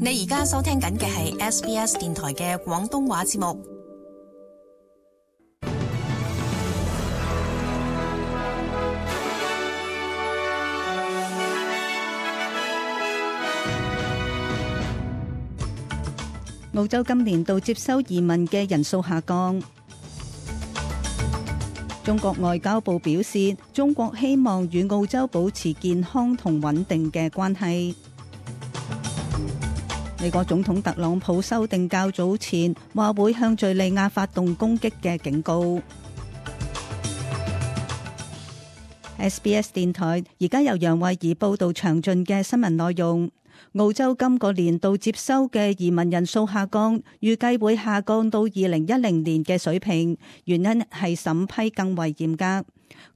你而家收聽緊嘅係 SBS 電台嘅廣東話節目。澳洲今年度接收移民嘅人數下降。中國外交部表示，中國希望與澳洲保持健康同穩定嘅關係。美國總統特朗普修訂較早前話會向敘利亞發動攻擊嘅警告。SBS 電台而家由楊慧儀報道詳盡嘅新聞內容。澳洲今個年度接收嘅移民人數下降，預計會下降到2010年嘅水平，原因係審批更為嚴格。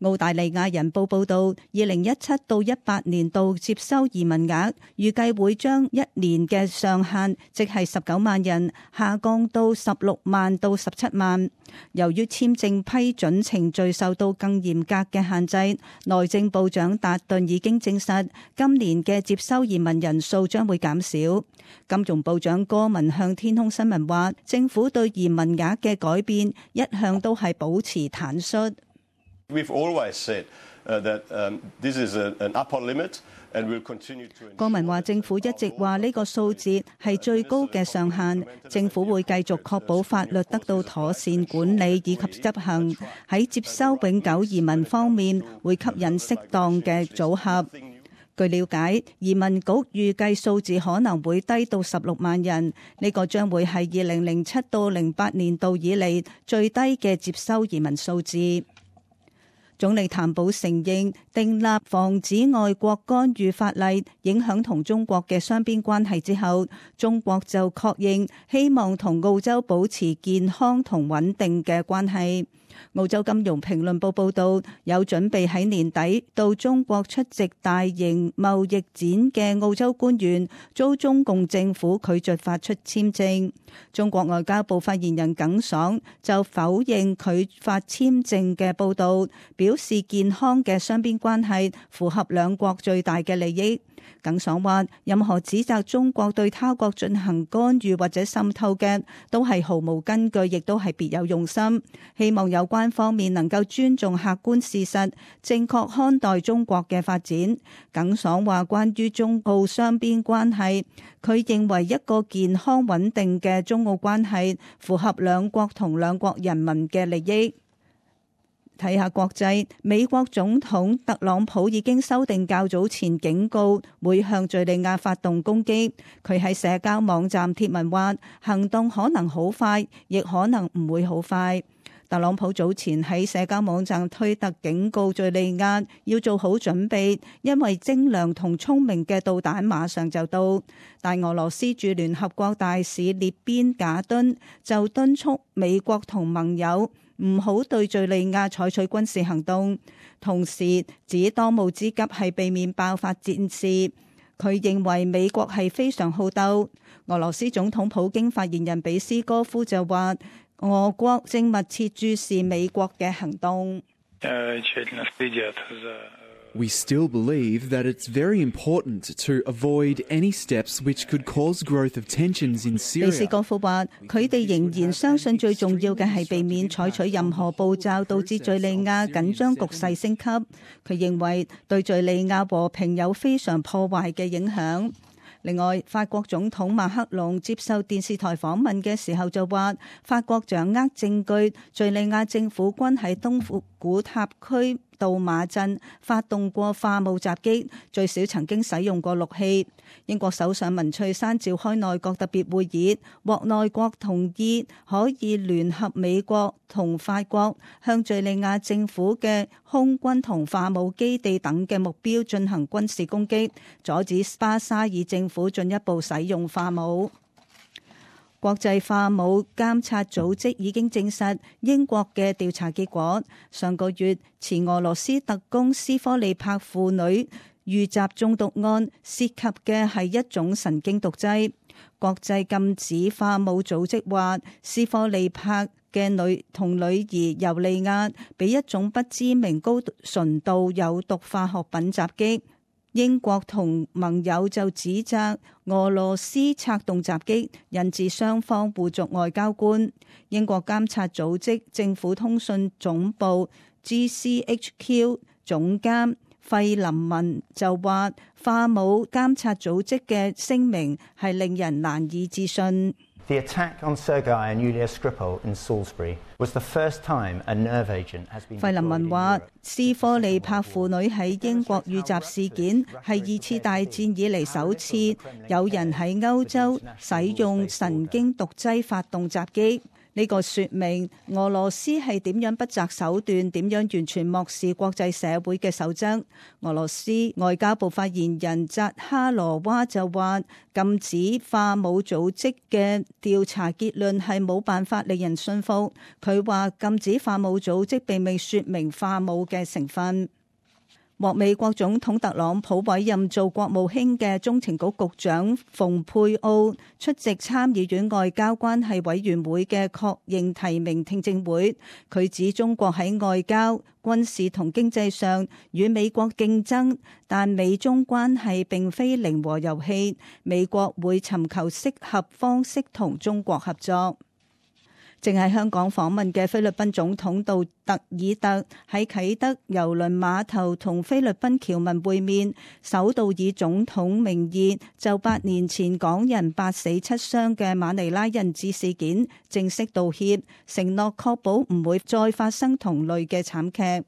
澳大利亞人報報道，2017到18年度接收移民額預計會將一年嘅上限，即係19萬人，下降到16萬到17萬。由於簽證批准程序受到更嚴格嘅限制，內政部長達頓已經證實，今年嘅接收移民人數將會減少。金融部長戈文向天空新聞話，政府對移民額嘅改變一向都係保持坦率。We've always said that this is an upper limit, and we'll continue to. 郭文話：政府一直話呢個數字係最高嘅上限，政府會繼續確保法律得到妥善管理以及執行。喺接收永久移民方面，會吸引適當嘅組合。據了解，移民局預計數字可能會低到16萬人，呢個將會係2007到08年度以嚟最低嘅接收移民數字。總理譚寶承認訂立防止外國干預法例影響同中國嘅雙邊關係之後，中國就確認希望同澳洲保持健康同穩定嘅關係。澳洲金融評論報報道，有準備喺年底到中國出席大型貿易展嘅澳洲官員遭中共政府拒絕發出簽證。中國外交部發言人耿爽就否認拒發簽證嘅報道，表示健康嘅雙邊關係符合兩國最大嘅利益。耿爽話，任何指責中國對他國進行干預或者滲透嘅都係毫無根據，亦都係別有用心。希望有關方面能夠尊重客觀事實，正確看待中國嘅發展。耿爽話，關於中澳雙邊關係，佢認為一個健康穩定嘅中澳關係符合兩國同兩國人民嘅利益。睇下國際，美國總統特朗普已經修訂較早前警告，會向敘利亞發動攻擊。佢喺社交網站貼文話，行動可能好快，亦可能唔會好快。特朗普早前喺社交網站推特警告敘利亞要做好準備，因為精良同聰明嘅導彈馬上就到。但俄羅斯駐聯合國大使列邊賈敦就敦促美國同盟友唔好對敘利亞採取軍事行動，同時指當務之急係避免爆發戰事。佢認為美國係非常好鬥。俄羅斯總統普京發言人比斯哥夫就話，俄國正密切注視美國嘅行動。We still believe that it's very important to avoid any steps which could cause growth of tensions in Syria. 比斯哥夫話，佢哋仍然相信最重要嘅係避免採取任何步驟導致敘利亞緊張局勢升級。佢認為對敘利亞和平有非常破壞嘅影響。另外，法國總統馬克龍接受電視台訪問嘅時候就話，法國掌握證據，敘利亞政府軍喺東古塔區杜馬鎮發動過化武襲擊，最少曾經使用過6器。英國首相文翠珊召開內閣特別會議，獲內閣同意可以聯合美國同法國向敘利亞政府嘅空軍同化武基地等嘅目標進行軍事攻擊，阻止巴沙爾政府進一步使用化武。國際化武監察組織已經證實英國嘅調查結果，上個月前俄羅斯特工斯科利帕婦女遇襲中毒案涉及嘅係一種神經毒劑。國際禁止化武組織話，斯科利帕嘅女兒尤利亞被一種不知名高純度有毒化學品襲擊。英國同盟友就指責俄羅斯策動襲擊，引致雙方互逐外交官。英國監察組織政府通訊總部 GCHQ 總監費林文就話，化武監察組織嘅聲明係令人難以置信。The attack on Sergei and Yulia Skripal in Salisbury was the first time a nerve agent has been. 費林文話，斯科利帕婦女喺英國遇襲事件係二次大戰以嚟首次有人喺歐洲使用神經毒劑發動襲擊。呢個說明俄羅斯係點樣不擇手段，點樣完全漠視國際社會嘅守則。俄羅斯外交部發言人扎哈羅娃就話，禁止化武組織嘅調查結論係冇辦法令人信服。佢話禁止化武組織並未說明化武嘅成分。獲美國總統特朗普委任做國務卿嘅中情局局長蓬佩奧出席參議院外交關係委員會嘅確認提名聽證會，佢指中國喺外交、軍事同經濟上與美國競爭，但美中關係並非零和遊戲，美國會尋求適合方式同中國合作。正喺香港訪問嘅菲律賓總統杜特爾特喺啟德郵輪碼頭同菲律賓僑民會面，首度以總統名義就8年前港人8死7傷嘅馬尼拉人質事件正式道歉，承諾確保唔會再發生同類嘅慘劇。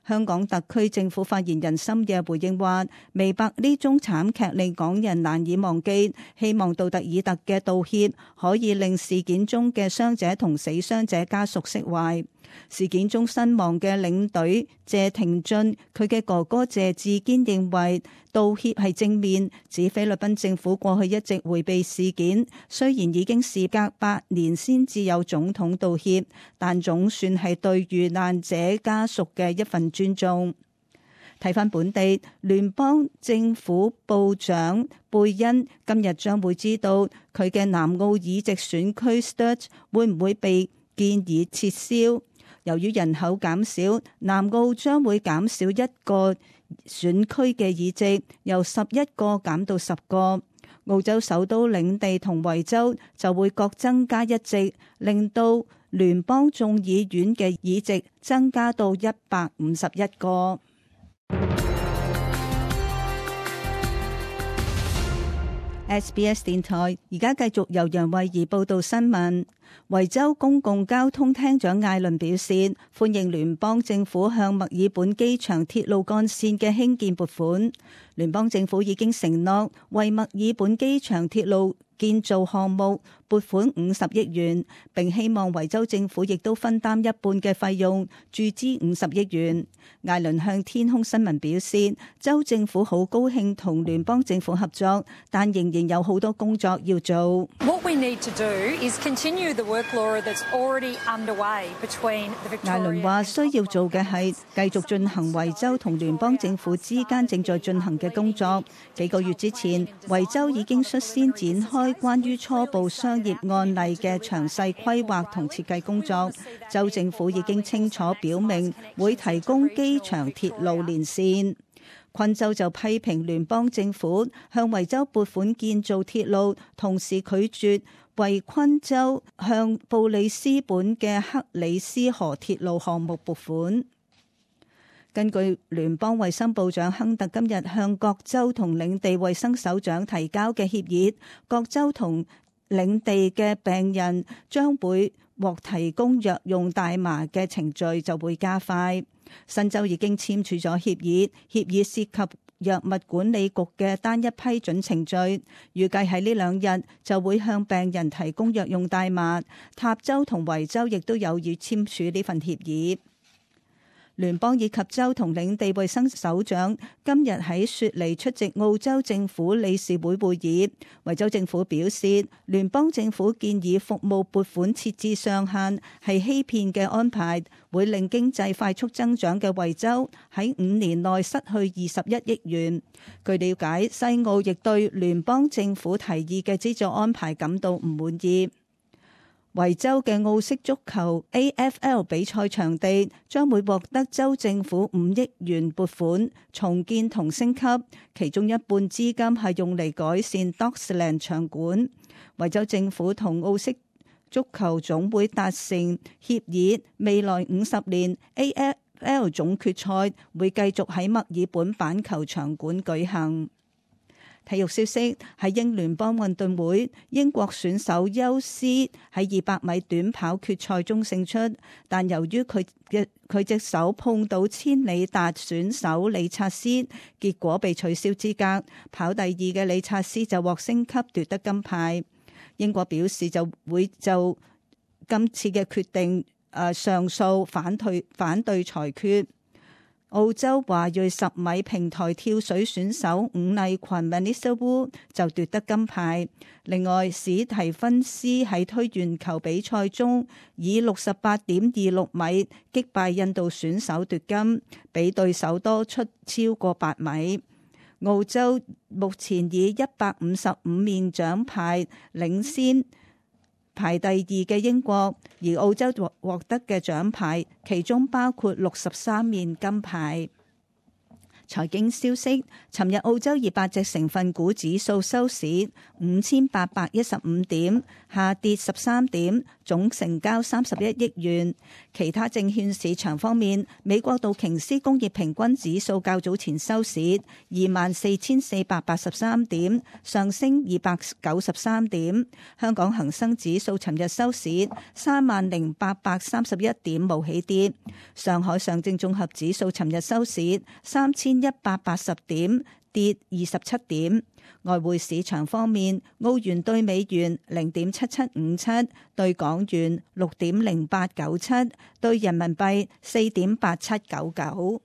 香港特區政府發言人深夜回應話，明白呢宗慘劇令港人難以忘記，希望杜特爾特嘅道歉可以令事件中嘅傷者同死傷者家屬釋懷。事件中身亡嘅領隊謝廷駿，佢嘅哥哥謝志堅認為道歉係正面，指菲律賓政府過去一直迴避事件，雖然已經事隔8年先至有總統道歉，但總算係對遇難者家屬嘅一份尊重。睇返本地，聯邦政府部長貝恩今日將會知道佢嘅南澳議席選區 Sturt 會唔會被建議撤銷。由於人口減少，南澳將會減少1個選區嘅議席，由11個減到10個。澳洲首都領地同維州就會各增加1席，令到聯邦眾議院嘅議席增加到151個。SBS 電台而家繼續由楊慧儀報道新聞。維州公共交通廳長艾倫表示，歡迎聯邦政府向墨爾本機場鐵路幹線嘅興建撥款。聯邦政府已經承諾為墨爾本機場鐵路建造項目撥款50億元，並希望維州政府亦都分擔一半嘅費用，注資50億元。艾倫向天空新聞表示，州政府好高興同聯邦政府合作，但仍然有好多工作要做。艾倫話需要做嘅係繼續進行維州同聯邦政府之間正在進行嘅工作。幾個月之前，維州已經率先展開關於初步商業案例嘅詳細規劃同設計工作。州政府已經清楚表明會提供機場鐵路連線。昆州就批評聯邦政府向維州撥款建造鐵路，同時拒絕為昆州向布里斯本嘅克里斯河鐵路項目撥款。根據聯邦衛生部長亨特今日向各州同領地衛生首長提交嘅協議，各州同領地嘅病人將會獲提供藥用大麻嘅程序就會加快。新州已經簽署咗協議，協議涉及藥物管理局嘅單一批准程序，預計喺呢2日就會向病人提供藥用大麻。塔州同維州亦都有意簽署呢份協議。聯邦以及州同領地衛生首長今日喺雪梨出席澳洲政府理事會會議。維州政府表示，聯邦政府建議服務撥款設置上限係欺騙嘅安排，會令經濟快速增長嘅維州喺5年內失去21億元。據了解，西澳亦對聯邦政府提議嘅資助安排感到唔滿意。維州嘅澳式足球 AFL 比賽場地將會獲得州政府5億元撥款重建同升級，其中一半資金係用嚟改善 Docksland 場館。維州政府同澳式足球總會達成協議，未來50年 AFL 總決賽會繼續喺墨爾本板球場館舉行。體育消息，喺英聯邦運動會，英國選手休斯喺200米短跑決賽中勝出，但由於佢隻手碰到千里達選手理察斯，結果被取消資格。跑第2嘅理察斯就獲升級奪得金牌。英國表示就會就今次嘅決定上訴反對裁決。澳洲華裔10米平台跳水選手伍麗群 Vanessa Wu 就奪得金牌。另外，史提芬斯喺推圓球比賽中以 68.26 米擊敗印度選手奪金，比對手多出超過8米。澳洲目前以155面獎牌領先排第2嘅英國，而澳洲獲得嘅獎牌其中包括63面金牌。財經消息，尋日澳洲200隻成分股指數收市5815點，下跌13點，總成交31億元。其他證券市場方面，美國道瓊斯工業平均指數較早前收市24,483點，上升293點。香港恒生指數尋日收市30,831點，無起跌。上海上證綜合指數尋日收市3,180點，跌27點。外匯市場方面，澳元對美元0.7757，對港元6.0897，對人民幣4.8799。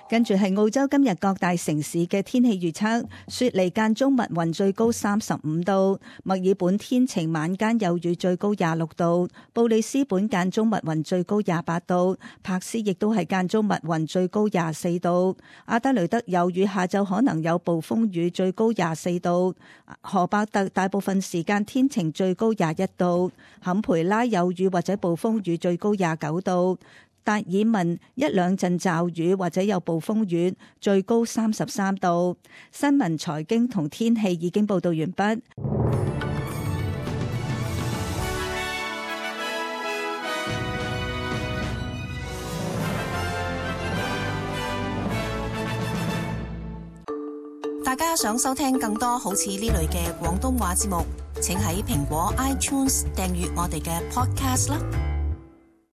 跟住係澳洲今日各大城市嘅天氣預測：雪梨間中密雲，最高35度；墨爾本天晴，晚間有雨，最高26度；布里斯本間中密雲，最高28度；柏斯亦都係間中密雲，最高24度；阿德雷德有雨，下晝可能有暴風雨，最高24度；荷伯特大部分時間天晴，最高21度；坎培拉有雨或者暴風雨，最高29度。達爾文一兩陣驟雨或者有暴風雨，最高33度。新聞、財經同天氣已經報道完畢。大家想收聽更多好似呢類嘅廣東話節目，請喺蘋果 iTunes 訂閱我哋嘅 Podcast 啦。